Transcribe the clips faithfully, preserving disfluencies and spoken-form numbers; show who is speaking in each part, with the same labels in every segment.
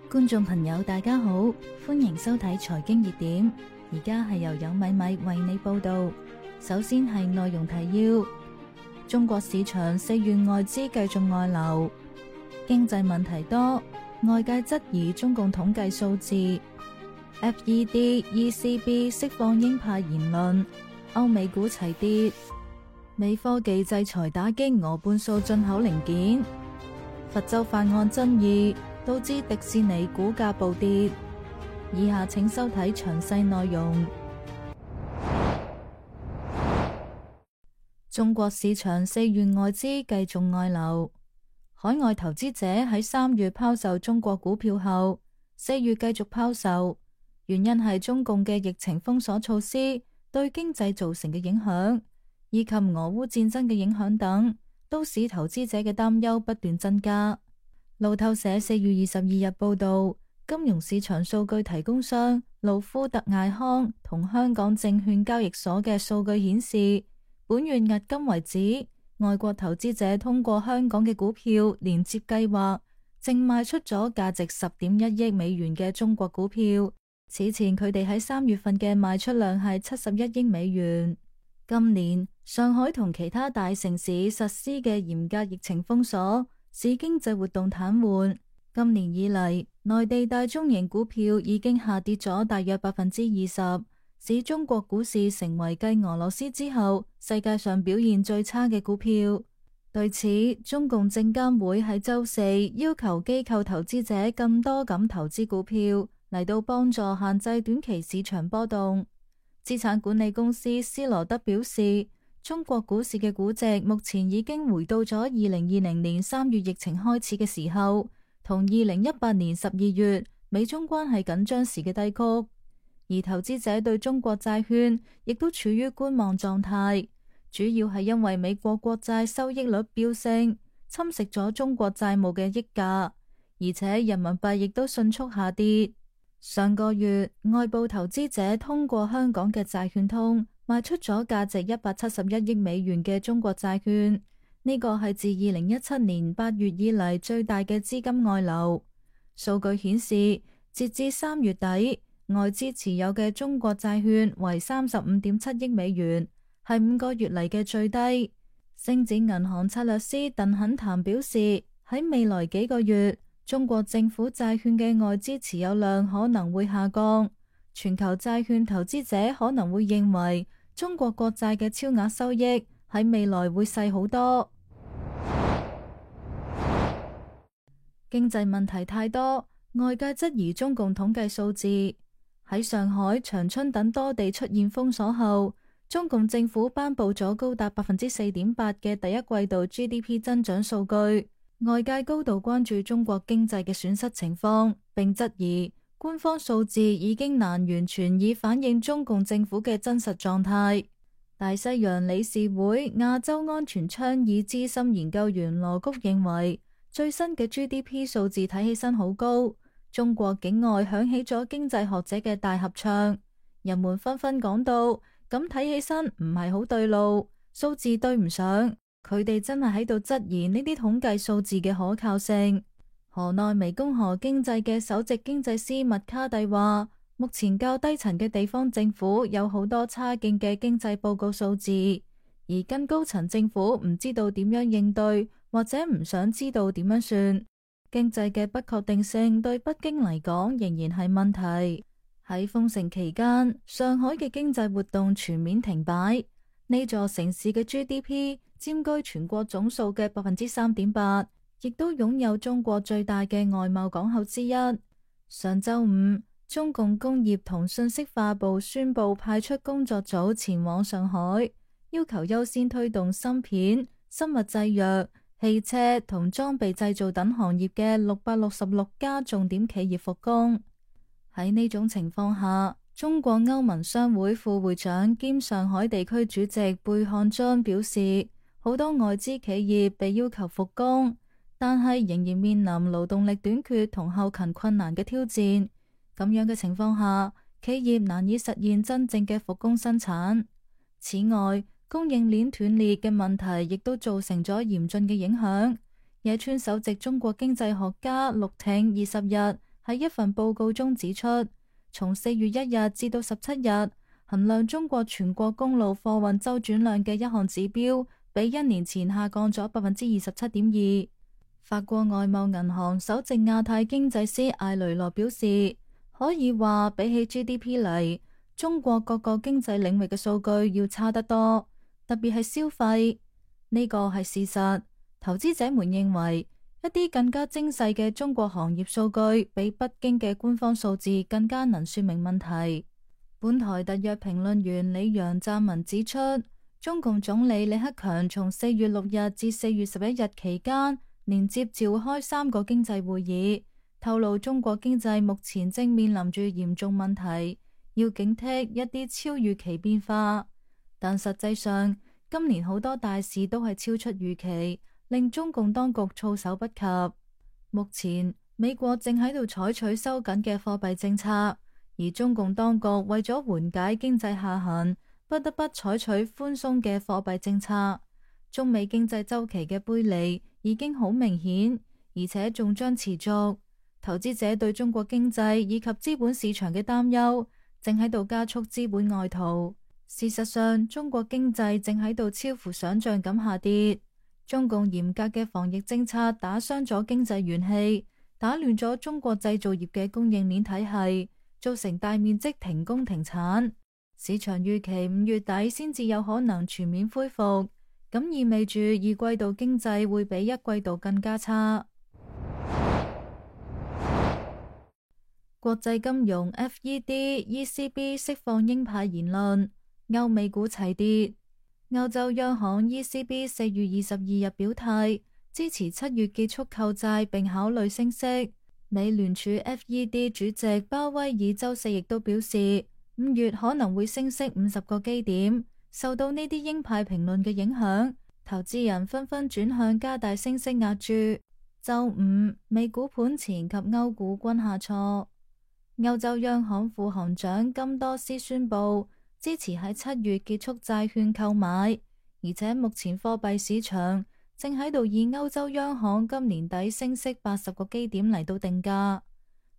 Speaker 1: 觀眾朋友大家好，歡迎收睇財經熱點，而家係由有米米為你報道。首先係內容提要：中國市場四月外資繼續外流，經濟問題多，外界質疑中共統計數字。F E D、E C B 釋放鷹派言論，歐美股齊跌。美科技制裁打擊俄半數進口零件。佛州法案爭議導致迪士尼股價暴跌。以下請收睇詳細內容。中國市場四月外資繼續外流，海外投資者喺三月拋售中國股票後，四月繼續拋售，原因係中共嘅疫情封鎖措施對經濟造成嘅影響，以及俄烏戰爭嘅影響等，都使投資者嘅擔憂不斷增加。路透社四月二十二日報道，金融市場數據提供商路夫特艾康同香港證券交易所嘅數據顯示，本月迄今為止，外國投資者通過香港嘅股票連接計劃，淨賣出咗價值十點一億美元嘅中國股票。此前佢哋喺三月份嘅賣出量係七十一億美元。今年上海同其他大城市實施嘅嚴格疫情封鎖，使經濟活動癱瘓。今年以嚟，內地大中型股票已經下跌咗大約百分之二十，使中國股市成為繼俄羅斯之後世界上表現最差嘅股票。對此，中共證監會喺周四要求機構投資者更多咁投資股票，嚟到幫助限制短期市場波動。資產管理公司斯羅德表示，中國股市嘅估值目前已經回到咗二零二零年三月疫情開始嘅時候，同二零一八年十二月美中關係緊張時嘅低谷，而投資者對中國債券亦都處於觀望狀態，主要係因為美國國債收益率飆升，侵蝕咗中國債務嘅溢價，而且人民幣亦都迅速下跌。上個月，外部投資者通過香港嘅債券通賣出咗價值一百七十一億美元嘅中國債券，呢個係自二零一七年八月以嚟最大嘅資金外流。數據顯示，截至三月底，外資持有嘅中國債券為三十五點七億美元，係五個月嚟嘅最低。星展銀行策略師鄧肯談表示，喺未來幾個月，中國政府債券嘅外資持有量可能會下降，全球債券投資者可能會認為中國國債嘅超額收益喺未來會細好多。經濟問題太多，外界質疑中共統計數字。喺上海、長春等多地出現封鎖後，中共政府頒布咗高達百分之四點八嘅第一季度 G D P 增長數據。外界高度關注中國經濟嘅損失情況，並質疑官方數字已經難完全以反映中共政府嘅真實狀態。大西洋理事會亞洲安全倡議資深研究員羅谷認為，最新嘅 G D P 數字睇起身好高，中國境外響起咗經濟學者嘅大合唱，人們紛紛講到，咁睇起身唔係好對路，數字對唔上。佢哋真係喺度質疑呢啲統計數字嘅可靠性。河內湄公河經濟嘅首席經濟師麥卡蒂話，目前較低層嘅地方政府有好多差勁嘅經濟報告數字，而更高層政府唔知道點樣應對，或者唔想知道點樣算。經濟嘅不確定性對北京嚟講仍然係問題。喺封城期間，上海嘅經濟活動全面停擺，呢座城市嘅 G D P佔據全國總數嘅百分之三點八，亦都擁有中國最大嘅外貿港口之一。上周五，中共工業同信息化部宣布派出工作組前往上海，要求優先推動芯片、生物製藥、汽車同裝備製造等行業嘅六百六十六家重點企業復工。喺呢種情況下，中國歐盟商會副會長兼上海地區主席貝漢津表示，好多外資企業被要求復工，但係仍然面臨勞動力短缺同後勤困難嘅挑戰。咁樣嘅情況下，企業難以實現真正嘅復工生產。此外，供應鏈斷裂嘅問題亦都造成咗嚴峻嘅影響。野村首席中國經濟學家陸挺二十日喺一份報告中指出，從四月一日至到十七日，衡量中國全國公路貨運週轉量嘅一項指標，比一年前下降咗百分之二十七點二。法國外貿銀行首席亞太經濟師艾雷羅表示，可以話比起 G D P 嚟，中國各個經濟領域嘅數據要差得多，特別係消費。呢個係事實。投資者們認為，一啲更加精細嘅中國行業數據，比北京嘅官方數字更加能說明問題。本台特約評論員李陽撰文指出，中共總理李克強從四月六日至四月十一日期間，連接召開三個經濟會議，透露中國經濟目前正面臨住嚴重問題，要警惕一啲超預期變化。但實際上，今年好多大事都係超出預期，令中共當局措手不及。目前，美國正喺度採取收緊嘅貨幣政策，而中共當局為咗緩解經濟下行，不得不採取寬鬆嘅貨幣政策。中美經濟週期嘅背離已經好明顯，而且仲將持續。投資者對中國經濟以及資本市場嘅擔憂，正喺度加速資本外逃。事實上，中國經濟正喺度超乎想象咁下跌。中共嚴格嘅防疫政策打傷咗經濟元氣，打亂咗中國製造業嘅供應鏈體系，造成大面積停工停產。市場預期五月底先至有可能全面恢復。咁意味住二季度經濟會比一季度更加差。國際金融 F E D、E C B 釋放鷹派言論，歐美股齊跌。歐洲央行 E C B 四月二十二日表態，支持七月結束購債並考慮升息。美聯儲 F E D 主席鮑威爾周四亦都表示，五月可能會升息五十個基點。受到呢啲鷹派評論嘅影響，投資人紛紛轉向加大升息壓注。周五，美股盤前及歐股均下挫。歐洲央行副行長金多斯宣布支持喺七月結束債券購買，而且目前貨幣市場正喺度以歐洲央行今年底升息八十個基點嚟到定價。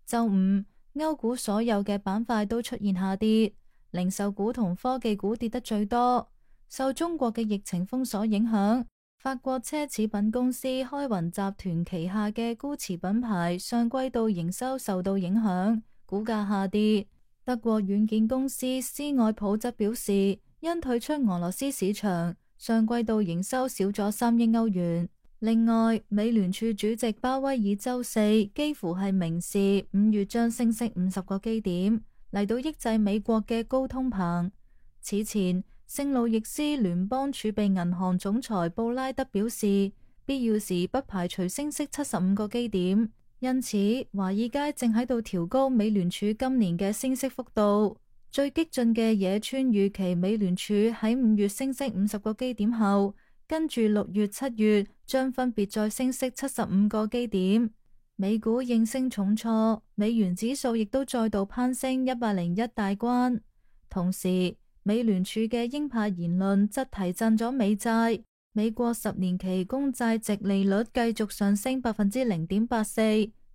Speaker 1: 周五，歐股所有嘅板塊都出現下跌。零售股同科技股跌得最多，受中國嘅疫情封鎖影響，法國奢侈品公司開雲集團旗下嘅GUCCI品牌上季度營收受到影響，股價下跌。德國軟件公司斯愛普則表示，因退出俄羅斯市場，上季度營收少咗三億歐元。另外，美聯儲主席鮑威爾周四幾乎係明示五月將升息五十個基點，嚟到抑制美國嘅高通膨。此前，聖路易斯聯邦儲備銀行總裁布拉德表示，必要時不排除升息七十五個基點。因此，華爾街正喺度調高美聯儲今年嘅升息幅度。最激進嘅野村預期美聯儲喺五月升息五十個基點後，跟住六月、七月將分別再升息七十五個基點。美股應聲重挫，美元指數亦都再度攀升一百零一大關。同時，美聯儲嘅鷹派言論則提振咗美債。美國十年期公債殖利率繼續上升百分之零點八四，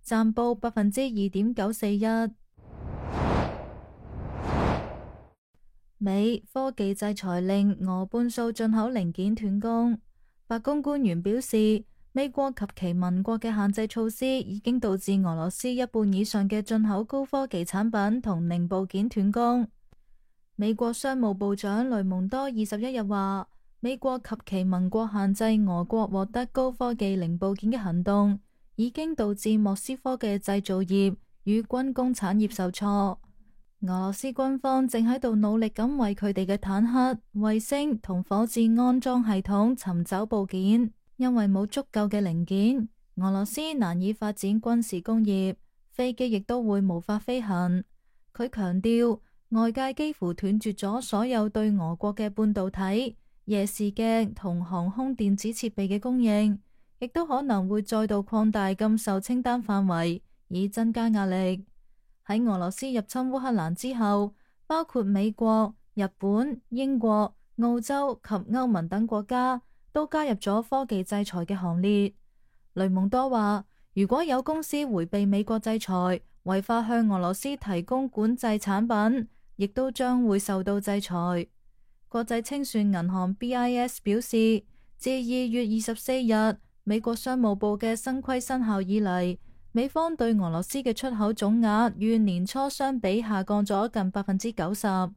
Speaker 1: 暫報百分之二點九四一。美科技制裁令俄半數進口零件斷供。白宮官員表示，美國及其盟國嘅限制措施已經導致俄羅斯一半以上嘅進口高科技產品同零部件斷供。美國商務部長雷蒙多二十一日話，美國及其盟國限制俄國獲得高科技零部件嘅行動，已經導致莫斯科嘅製造業與軍工產業受挫。俄羅斯軍方正喺度努力咁為佢哋嘅坦克、衛星同火箭安裝系統尋找部件，因為冇足夠嘅零件，俄羅斯難以發展軍事工業，飛機亦都會無法飛行。佢強調，外界幾乎斷絕咗所有對俄國嘅半導體、夜視鏡同航空電子設備嘅供應，亦都可能會再度擴大禁售清單範圍，以增加壓力。喺俄羅斯入侵烏克蘭之後，包括美國、日本、英國、澳洲及歐盟等國家都加入咗科技制裁嘅行列。雷蒙多話，如果有公司迴避美國制裁，違法向俄羅斯提供管制產品，亦都將會受到制裁。國際清算銀行 B I S 表示，自二月二十四日美國商務部嘅新規生效以嚟，美方對俄羅斯嘅出口總額與年初相比下降咗近百分之九十。喺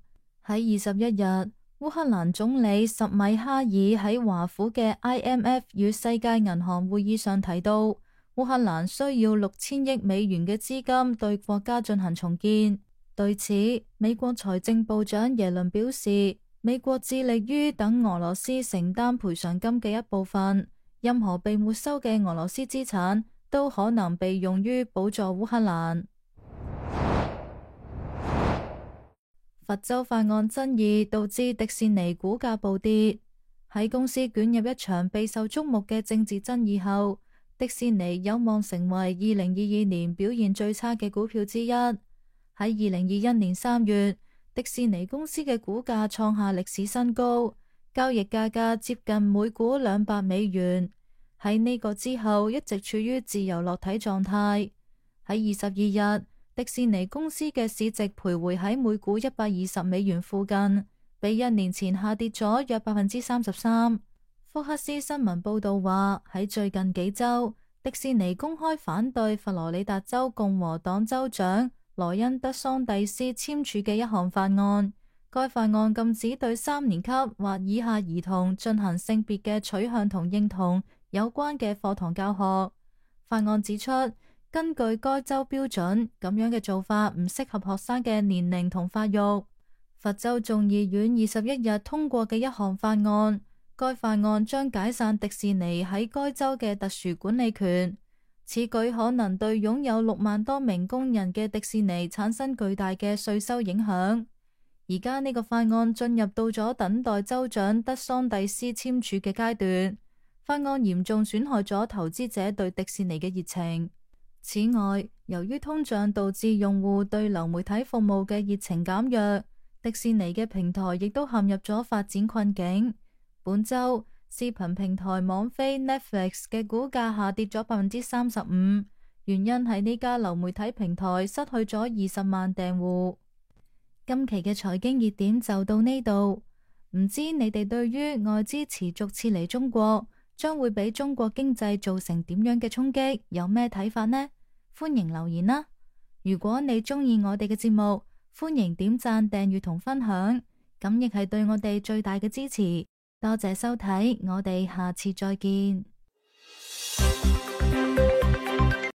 Speaker 1: 二十一日，烏克蘭總理什米哈爾喺華府嘅 I M F 與世界銀行會議上提到，烏克蘭需要六千億美元嘅資金對國家進行重建。對此，美國財政部長耶倫表示，美國致力於等俄羅斯承擔賠償金嘅一部分，任何被沒收嘅俄羅斯資產都可能被用於補助烏克蘭。佛州法案爭議導致迪士尼股價暴跌。喺公司捲入一場備受矚目嘅政治爭議後，迪士尼有望成為二零二二年表現最差嘅股票之一。喺二零二一年三月，迪士尼公司嘅股價創下歷史新高，交易價格接近每股兩百美元。喺呢個之後，一直處於自由落體狀態。喺二十二日，迪士尼公司嘅市值徘徊喺每股一百二十美元附近，比一年前下跌咗約百分之三十三。福克斯新聞報道話，喺最近幾周，迪士尼公開反對佛羅里達州共和黨州長萊恩德桑蒂斯簽署嘅一項法案。該法案禁止對三年級或以下兒童進行性別嘅取向同認同有關嘅課堂教學。法案指出，根據該州標準，咁樣嘅做法唔適合學生嘅年齡同發育。佛州眾議院二十一日通過嘅一項法案，該法案將解散迪士尼喺該州嘅特殊管理權。此舉可能對擁有六萬多名工人嘅迪士尼產生巨大嘅稅收影響。而家呢個法案進入到咗等待州長德桑蒂斯簽署嘅階段。法案嚴重損害咗投資者對迪士尼嘅熱情。此外，由於通脹導致用戶對流媒體服務嘅熱情減弱，迪士尼嘅平台亦都陷入咗發展困境。本周，視頻平台網飛 Netflix 嘅股價下跌咗百分之三十五，原因係呢家流媒體平台失去咗二十萬訂戶。今期嘅財經熱點就到呢度，唔知你哋對於外資持續撤離中國，將會俾中國經濟造成點樣嘅衝擊，有咩睇法呢？歡迎留言啦！如果你鍾意我哋嘅節目，歡迎點讚、訂閱同分享，咁亦係對我哋最大嘅支持。多謝收睇，我哋下次再見。